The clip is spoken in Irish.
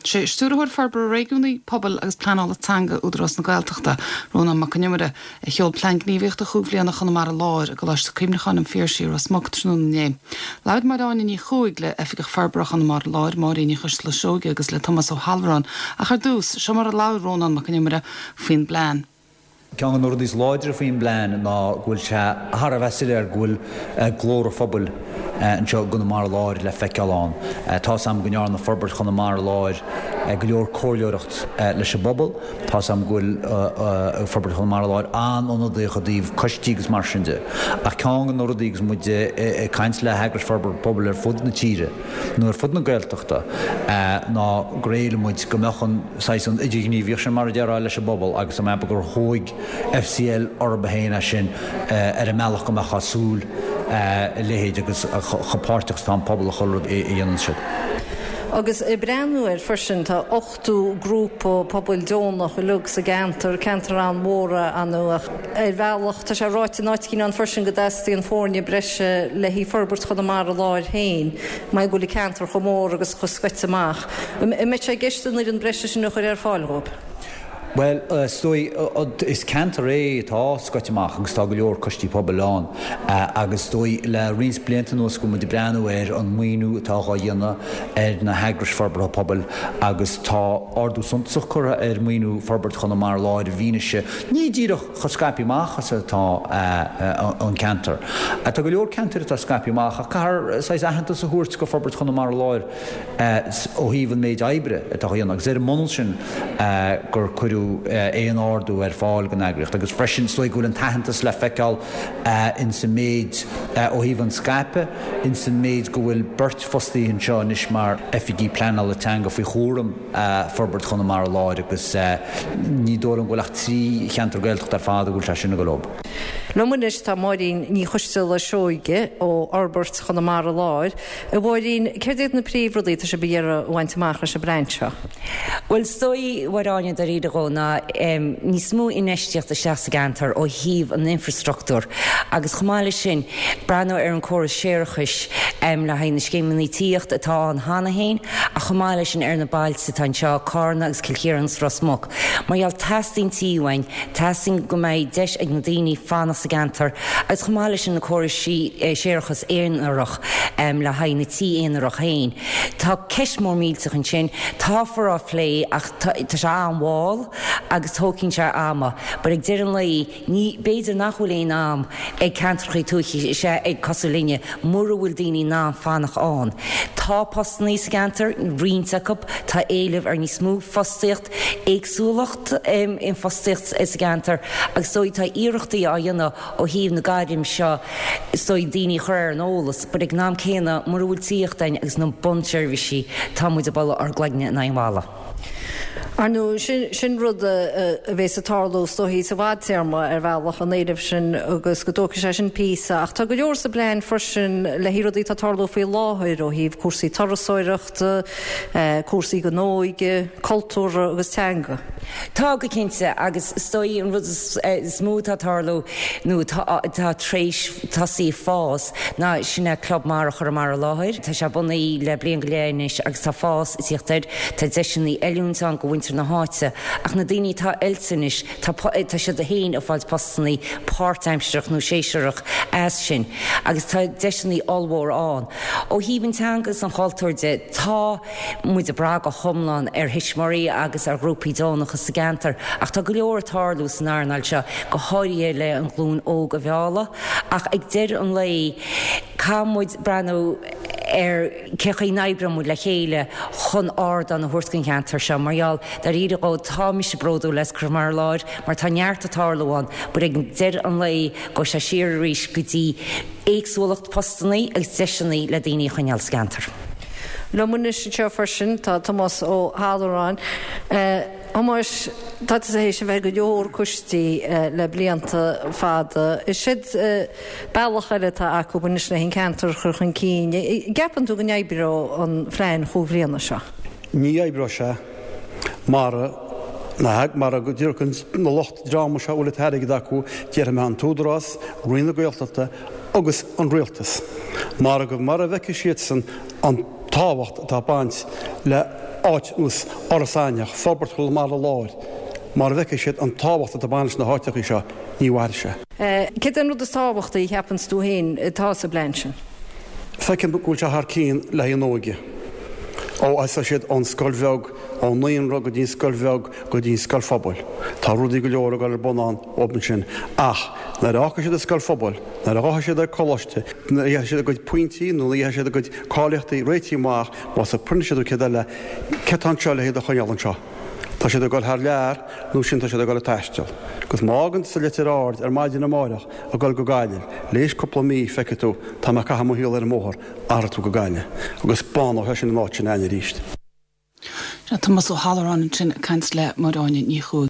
Sé Stiúrthóir Forbartha Réigiúnaí, Pobail agus Pleanála Teanga Údarás na Gaeltachta, Rónán Mac Con Iomaire, a sheol Plean Gníomhaíochta Chúig Bhliana Chonamara Láir i gColáiste Cuimhneacháin an Phiarsaigh i Ros Muc tráthnóna inné. Labhair Máire Áine Ní Chuaig le Oifigeach Forbartha Chonamara Láir, Máirín Ní Choisteala Seoige agus le Tomás Ó hAllmhuráin ach ar dtús, seo mar a labhair Rónán Mac Con Iomaire faoin bplean. Ceann de na rudaí is láidre faoin bplean ná go bhfuil sé thar a bheith soiléir go bhfuil glór an phobail anseo i gConamara Láir le feiceáil ann. Tá's a'm go ndearna Forbairt Chonamara Láir go leor comhairleoireacht leis an bpobal. Tá's a'm go bhfuil Forbairt Chonamara Láir an-ionadaíoch i dtaobh coistí agus mar sin de. Ach ceann de na rudaí agus muid ag caint le heagrais forbartha pobail ar fud na tíre, nó ar fud na Gaeltachta, ná gur éiligh muid go mbeadh an saghas an idirghníomhaíocht sin, mar a déarfá, leis an bpobal agus tá mé ag ceapadh gur thóig FCL orthu féin é sin ar an mbealach go mbeifeá ag súil a leithéid agus chomh páirteach is atá an pobal i chuile rud a dhéanann siad. Agus ag breathnú air freisin, tá 80 grúpa pobail deonach uilig sa gceantar, ceantar an-mhór é ar ndóigh ach ar bhealach tá sé ráite in áit éicint ann freisin go dteastaíonn foirne breise le haghaidh Forbairt Chonamara Láir féin mar go bhfuil an ceantar chomh mór agus chomh scoite amach. An mbeidh sé i gceist an fhoireann breise sin a chur ar fáil dhóibh? Bhuel, is dóigh, is ceantar é atá scoite amach agus tá go leor coistí pobail ann agus is dóigh le roinnt blianta anuas go bhfuil muid ag breathnú ar an maoiniú atá dhá dhéanamh ar na heagrais forbartha pobail agus tá ardú suntasach curtha ar mhaoiniú Forbairt Chonamara Láir i bhfianaise ní díreach chomh scaipthe amach is atá an ceantar. Tá go leor ceantair atá scaipthe amach ach caithfear saghas aitheantas a thabhairt go Forbairt Chonamara Láir ó thaobh an méid oibre atá á dhéanamh agus ar an mbunús sin gur cuireadh aon ardú ar fáil don eagraíocht agus freisin is dóigh go bhfuil an t-aitheantas le feiceáil ins an méid ó thaobh an scaipeadh, ins an méid go bhfuil beirt fostaithe anseo anois mar oifigigh pleanála teanga faoi chúram Forbairt Chonamara Láir agus ní dóigh liom go bhfuil ach 3 cheantar Gaeltachta ar fad a bhfuil sé sin ag dul leo. Liom anois tá Máirín Ní Choisteala Seoige ó Fhorbairt Chonamara Láir. A Mháirín, céard iad na príomhrudaí atá sibh ag iarraidh a bhaint amach leis an bplean seo? Bhuel, is dóigh, a Mháire Áine, dáiríre dhó, ná níos mó infheistíocht isteach sa gceantar ó thaobh an infreastruchtúir agus chomh maith leis sin, breathnú ar an córas séarachais le haghaidh na scéimeanna tithíochta atá ann cheana féin ach chomh maith leis sin ar na bailte atá anseo, Cárna agus Cill Chiaráin agus Ros Muc. Mar gheall, teastaíonn tithe uainn, teastaíonn go mbeidh deis ag na daoine fanacht sa gceantar agus chomh maith leis sin na córais séarachas aonarach le haghaidh na tithe aonarach féin. Tá ceist mór millteach ansin, táfar á phlé ach tá sé an-mhall agus tógfaidh sé ama but ag deireadh an lae ní, b'fhéidir nach bhfuil aon am ag ceantracha tuaithe is ea ag cosúil linne mura bhfuil daoine in ann fanacht ann. Tá postannaí sa gceantar, roinnt acu, tá éileamh ar níos mó fostaíocht, éagsúlacht in fostaíocht sa gceantar agus is dóigh tá iarrachtaí á dhéanamh ó thaobh na gairm seo is dóigh daoine a chur ar an eolas but ag an am céanna mura bhfuil tithíocht ann agus na bunseirbhísí tá muid ag bualadh ár gcloigne in aghaidh an bhalla. Ar ndóigh, sin rud a bhéas ag tarlú is dóichí sa bhfadtéarma ar bhealach, an éileamh sin agus go dtógfaidh sé sin píosa. Ach tá go leor sa bplean freisin le haghaidh rudaí atá ag tarlú faoi láthair ó thaobh cúrsaí turasóireachta, cúrsaí don óige, cultúrtha agus teanga. Tá, go cinnte, agus is dóigh an rud is mó atá ag tarlú nó atá tar éis tosaí ag fás ná sin é Club Mara Chonamara Láir. Tá sé bunaithe le bliain go leith anois agus tá fás ag tíocht air. Tá deiseanna oiliúint ann go mhuintir na háite ach na daoine atá oilte anois tá tá siad féin ag fáilt postannaí páirtaimsearach nó séasúrach as sin agus tá deiseanna ollmhór ann. Ó thaobh an teanga is an chultúir de tá muid ag brath go hiomlán ar thuismitheoirí agus ar ghrúpaí deonacha sa gceantar ach tá go leor ag tarlú san earnáil seo, go háirithe le an ghlúin óg a mhealladh. Ach ag deireadh an lae, caithfidh muid breathnú ar cé chaoi n-oibreoidh muid le chéile chun ardán a thabhairt don cheantar seo. Mar gheall, dáiríre dhó, tá mise bródúil as Conamara Láir mar tá neart ag tarlú ann but ag deireadh an lae, gabhfaidh sé siar arís go dtí éagsúlacht postannaí agus deiseannaí le daoine a choinneáil sa gceantar. Liom anois anseo freisin tá Tomás Ó hAllmhuráin. A Thomáis, tá tusa théis a bheith i go leor coistí le blianta fada. Is seod bealach eile atá acu anois le an ceantar a chur chun cinn. An gceapann tú go n-oibreoidh an phlean chúig bhliana seo? Ní oibreoidh sé mara mara dtiocfaidh na lucht dreama seo a bhfuil an t-airgead acu, déarfaidh mé an tÚdarás, Roinn na Gaeltachta agus an Rialtas, mara go mara bhfeicfidh siadsan an tábhacht atá ag baint le. le áit nós Iorras Aithneach, Forbairt Chonamara Láir, mara bhfeicfidh siad an tábhacht atá ag baint leis na háiteachaí seo, ní mhairfidh sé. Céard é an rud is tábhachtaí a cheapanns tú féin atá sa bplean sin? Feicim go bhfuil sé thar cinn le haghaidh an óige. Ó thosaigh siad ón scoil bheag, ón naíonra go dtí an scoil bheag go dtí an scoil phobail. Tá rudaí go leor ag dul ar bun ann ansin ach nuair a fhágfaidh siad an scoil phobail, nuair a ghabhfaidh siad ag coláiste, nuair a gheobhaidh siad a gcuid pointí nó nuair a gheobhaidh siad a gcuid cáilíochtaí réitithe amach, más apprentice nó céard eile, céard atá anseo le hiad a choinneáil anseo? Tá siad ag dul thar lear nó sin tá siad ag dul ag taisteal. Agus má fhágann tusa Leitir Ard ar maidin amáireach ag dul go Gaillimh, l'éis cúpla mí feicfidh tú, tá mé ag caitheamh mo shaol ar an mbóthar, athróidh tú go Gaillimh. Agus bánóidh sé sin an áit sin againn arís. Tomás Ó hAlluráin ansin ag caint le Máire Áine Ní Chuaig.